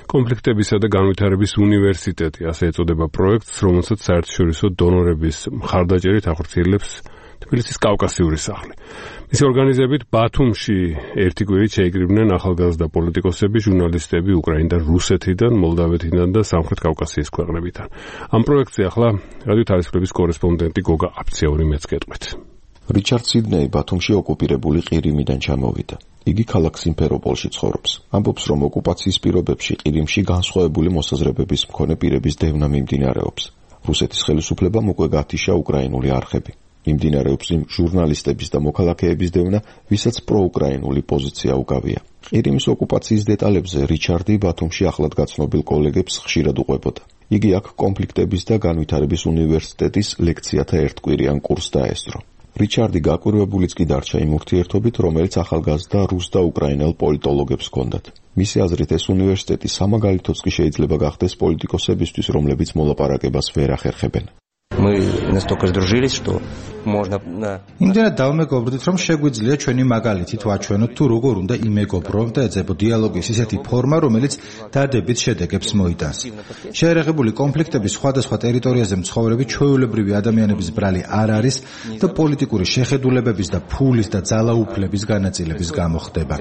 კონფლიქტებისა და განვითარების უნივერსიტეტი, ასე ეწოდება პროექტს, რომელსაც საერთაშორისო დონორების მხარდაჭერით ახორციელებს თბილისის კავკასიური სახლი. მისი ორგანიზებით ბათუმში ერთი კვირით შეიკრიბნენ ახალგაზრდა პოლიტიკოსები, ჟურნალისტები უკრაინიდან, რუსეთიდან, მოლდავეთიდან და სამხრეთ კავკასიის ქვეყნებიდან. ამ პროექტზე ახლა რადიო თარისხლების კორესპონდენტი გოგა აფციური მეც გეტყვით. რიჩარდ სიდნეი ბათუმში ოკუპირებული ყირიმიდან ჩამოვიდა. იგი ქალაქ სიმფეროპოლში ცხოვრობს. ამბობს, რომ ოკუპაციის პირობებში ყირიმში განსხვავებული მოსაზრებების მქონე პირების დევნა მიმდინარეობს. რუსეთის ხელისუფლებამ უკვე გათიშა უკრაინული არხები. მიმდინარეობს იმ ჟურნალისტების და მოქალაქეების დევნა, ვისაც პროუკრაინული პოზიცია უკავია. ყირიმის ოკუპაციის დეტალებზე რიჩარდი ბათუმში ახლად გაცნობილ კოლეგებს ხშირად უყვებოდა. იგი აქ კონფლიქტების და განვითარების უნივერსიტეტის ლექციათა ერთკვირიან კურსს დაესწრო. რიჩარდი გაკვირვებულიც კი დარჩა იმ ურთიერთობით, რომელიც ახალგაზრდა რუს და უკრაინელ პოლიტოლოგებს ჰქონდათ. მისი აზრით, ეს უნივერსიტეტი სამაგალითოც კი შეიძლება გახდეს პოლიტიკოსებისთვის, რომლებიც მოლაპარაკებას ვერ ახერხებენ. Мы настолько сдружились, что можно იმდენად დავმეგობრდით, რომ შეგვიძლია ჩვენი მაგალითით ვაჩვენოთ თუ როგორ უნდა იმეგობროთ და ეძებო დიალოგის ისეთი ფორმა, რომელიც დადებით შედეგებს მოიტანს. შეერაღებული კონფლიქტების სხვადასხვა ტერიტორიაზე მცხოვრები ჩვეულებრივი ადამიანების ბრალი არ არის და პოლიტიკური შეხედულებების და ფულის და ძალაუფლების განაწილების გამო ხდება.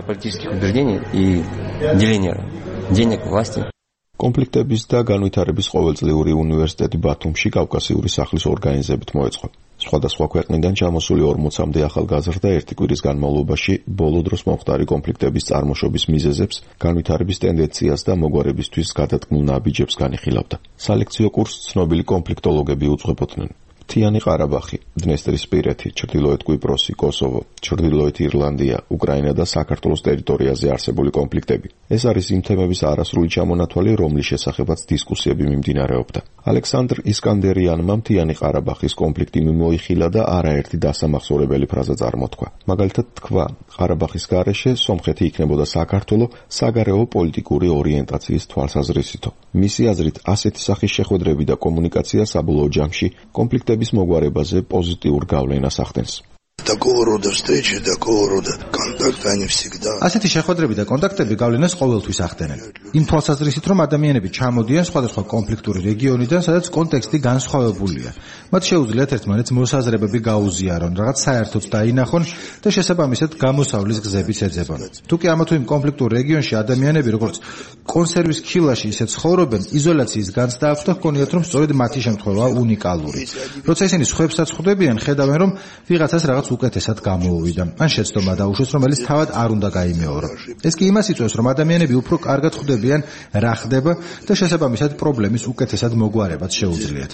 კონფლიქტების და განვითარების ყოველწლიური უნივერსიტეტი ბათუმში კავკასიური სახლის ორგანიზებით მოეწყო. სხვადასხვა ქვეყნიდან ჩამოსული 40-მდე ახალგაზრდა ერთი კვირის განმავლობაში ბოლო დროს მომხდარი კონფლიქტების წარმოშობის მიზეზებს, განვითარების ტენდენციას და მოგვარებისთვის გადადგმულ ნაბიჯებს განიხილავდა. სალექციო კურსს ცნობილი კონფლიქტოლოგები უძღვებოდნენ. მთიანი ყარაბახი, დნესტრისპირეთი, ჩრდილოეთ კვიპროსი, კოსოვო, ჩრდილოეთ ირლანდია, უკრაინა და საქართველოს ტერიტორიაზე არსებული კონფლიქტები. ეს არის იმ თემების არასრული ჩამონათვალი, რომლის შესახებაც დისკუსიები მიმდინარეობდა. ალექსანდრ ისკანდერიანმა მთიანი ყარაბახის კონფლიქტი მიმოიხილა და არაერთი დასამახსოვრებელი ფრაზა წარმოთქვა. მაგალითად თქვა, ყარაბახის გარეშე სომხეთი იქნებოდა საქართველო საგარეო პოლიტიკური ორიენტაციის თვალსაზრისითო. მისი აზრით, ასეთი სახის შეხვედრები და კომუნიკაცია საბოლოო ჯამში კონფლიქტების მოგვარებაზე პოზიტიურ გავლენას ახდენს. Такого рода встречи, такого рода контакты, они всегда. ასეთი შეხვედრები და კონტაქტები გავლენას ყოველთვის ახდენენ. იმ თვალსაზრისით, რომ ადამიანები ჩამოდიან სხვადასხვა კონფლიქტური რეგიონიდან, სადაც კონტექსტი განსხვავებულია. მათ შეუძლიათ ერთმანეთს მოსაზრებები გაუზიარონ, რაღაც საერთოდ დაინახონ და შესაბამისად გამოსავლის გზებიც ეძებონ. თუ კი ამა თუ იმ კონფლიქტურ რეგიონში ადამიანები როგორც კონსერვის ქილაში ისე ცხოვრობენ, იზოლაციის განცდა აქვს და ჰგონიათ, რომ სწორედ მათი შემთხვევაა უნიკალური. როცა ისინი სხვებსაც ხვდებიან, ხედავენ, რომ ვიღაცას რაღაც უკეთესად გამოუვიდა. ან შეცდომა დაუშვეს, რომელიც თავად არ უნდა გაიმეორო. ეს კი იმას იწვევს, რომ ადამიანები უფრო კარგად ხვდებიან, რა ხდება და შესაბამისად პრობლემის უკეთესად მოგვარებაც შეუძლიათ.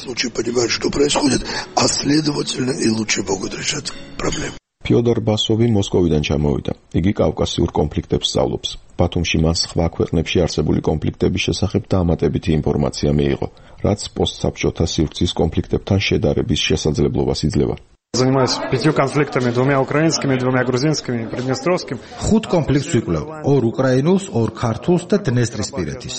ფიოდორ ბასოვი მოსკოვიდან ჩამოვიდა. იგი კავკასიურ კონფლიქტებს სწავლობს. ბათუმში მას სხვა ქვეყნებში არსებული კონფლიქტების შესახებ დამატებითი ინფორმაცია მიიღო, რაც პოსტსაბჭოთა სივრცის კონფლიქტებთან შედარების შესაძლებლობას იძლევა. Занимаюсь 5 конфликтами, 2 украинскими, 2 грузинскими, приднестровским. 5 კონფლიქტს ვიკვლევ, 2 უკრაინულს, 2 ქართულს და დნესტრისპირეთის.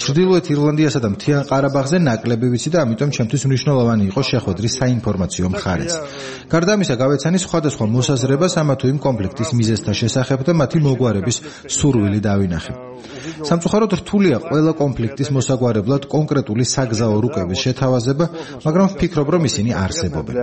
ჩრდილოეთ ირლანდიასა და მთიან ყარაბაღზე ნაკლები ვიცი და ამიტომ ჩემთვის მნიშვნელოვანი იყო შეხვედრის საინფორმაციო მხარეც. გარდა ამისა, გავეცანი სხვადასხვა მოსაზრებას ამა თუ იმ კონფლიქტის მიზეზთა შესახებ და მათი მოგვარების სურვილი დავინახე. სამწუხაროდ რთულია ყველა კონფლიქტის მოსაგვარებლად კონკრეტული საგზაო რუკების შეთავაზება, მაგრამ ვფიქრობ, რომ ისინი არსებობენ.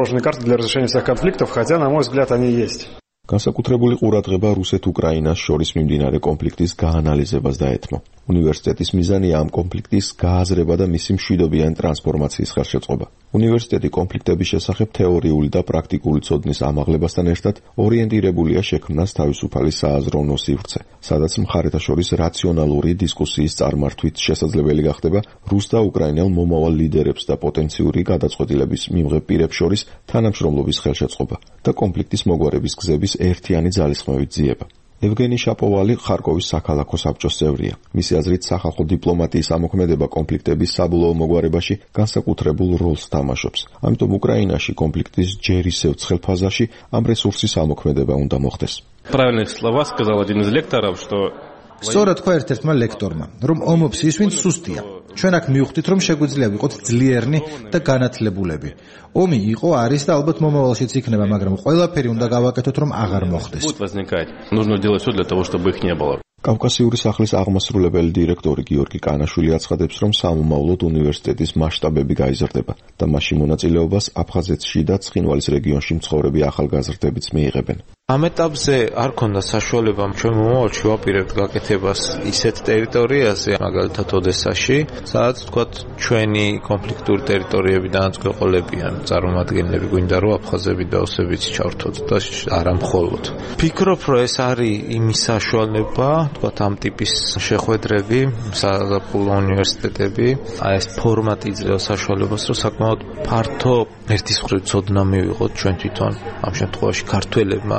Карты для разрешения всех конфликтов, хотя, на мой взгляд, они есть. განსაკუთრებული ყურადღება რუსეთ-უკრაინას შორის მიმდინარე კონფლიქტის გაანალიზებას დაეთმო. უნივერსიტეტის მიზანია ამ კონფლიქტის გააზრება და მისი მშვიდობიანი ტრანსფორმაციის ხელშეწყობა. უნივერსიტეტი კონფლიქტების შესახებ თეორიული და პრაქტიკული ცოდნის ამაღლებასთან ერთად ორიენტირებულია შექმნას თავისუფალი სააზროვნო სივრცე, სადაც მხარეთა შორის რაციონალური დისკუსიის წარმართვით შესაძლებელი გახდება რუს და უკრაინელ მომავალ ლიდერებს და პოტენციური გადაწყვეტილების მიმღებ პირებს შორის თანამშრომლობის ხელშეწყობა და კონფლიქტის მოგვარების გზების ერთიანი ძალისხმევით ძიება. ევგენი შაპოვალი ხარკოვის საქალაქო საბჭოს წევრია. მისი აზრით, სახალხო დიპლომატიის ამოქმედება კონფლიქტების საბოლოო მოგვარებაში განსაკუთრებულ როლს თამაშობს. ამიტომ უკრაინაში კონფლიქტის ჯერ ისევ ცხელ ფაზაში ამ რესურსის ამოქმედება უნდა მოხდეს. Правильные слова сказал один из лекторов, что სწორად თქვა ერთ-ერთმა ლექტორმა, რომ ომობს ის, ვინც სუსტია. ჩვენ აქ მივხვდით, რომ შეგვიძლია ვიყოთ ძლიერნი და განათლებულები. ომი იყო, არის და ალბათ მომავალშიც იქნება, მაგრამ ყველაფერი უნდა გავაკეთოთ, რომ აღარ მოხდეს. Будет возникать. Нужно делать все для того, чтобы их не было. კავკასიური სახლის აღმასრულებელი დირექტორი გიორგი კანაშვილი აცხადებს, რომ სამომავლოდ უნივერსიტეტის მასშტაბები გაიზრდება და მასში მონაწილეობას აფხაზეთში და ცხინვალის რეგიონში მცხოვრები ახალგაზრდებიც მიიღებენ. ამ ეტაპზე არ ქონდა საშუალება ჩვენ მომავალში ვაპირებთ გაკეთებას ისეთ ტერიტორიაზე, მაგალითად ოდესაში, სადაც თქვათ ჩვენი კონფლიქტური ტერიტორიებიდან გვეყოლებიან წარმომადგენლები, გვინდა რომ აფხაზები და ოსებიც ჩავთოთ და არა მხოლოდ. ფიქრობ, რომ ეს არის იმის საშუალება, თქვათ ამ ტიპის შეხვედრები, საზაფხულო უნივერსიტეტები, ეს ფორმატი იძლევა საშუალებას, რომ საკმაოდ ფართო ერთის მხრივ ცოდნა მივიღოთ ჩვენ თვითონ ამ შემთხვევაში ქართველებმა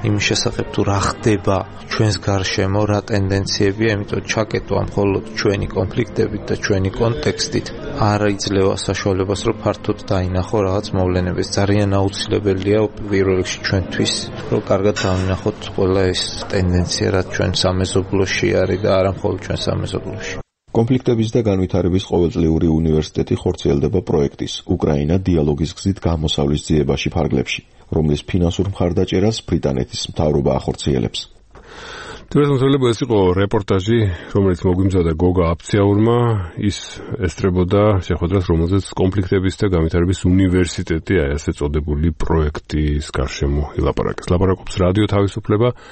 იმის შესახებ თუ რა ხდება ჩვენს გარშემო, რა ტენდენციებია, იმიტომ ჩაკეტვა მხოლოდ ჩვენი კონფლიქტებით და ჩვენი კონტექსტით არ იძლევა საშუალებას, რომ ფართოდ დაინახო რაღაც მოვლენები. ძალიან აუცილებელია პირველ რიგში ჩვენთვის, რომ კარგად დავინახოთ ყველა ეს ტენდენცია, რაც ჩვენ სამეზობლოში არის და არა მხოლოდ ჩვენ სამეზობლოში. კონფლიქტების და განვითარების ყოველწლიური უნივერსიტეტი ხორციელდება პროექტის უკრაინა დიალოგის გზით გამოსავლის ძიებაში ფარგლებში, რომლის ფინანსურ მხარდაჭერას ბრიტანეთის მთავრობა ახორციელებს. თუმცა ეს იყო რეპორტაჟი, რომელიც მოგვიმზადა გოგა აფციაურმა, ის ესწრებოდა შეხვედრას, რომელზეც კონფლიქტების და განვითარების უნივერსიტეტი, ასე წოდებული პროექტის გარშემო ილაპარაკეს. ლაპარაკობს რადიო თავისუფლება.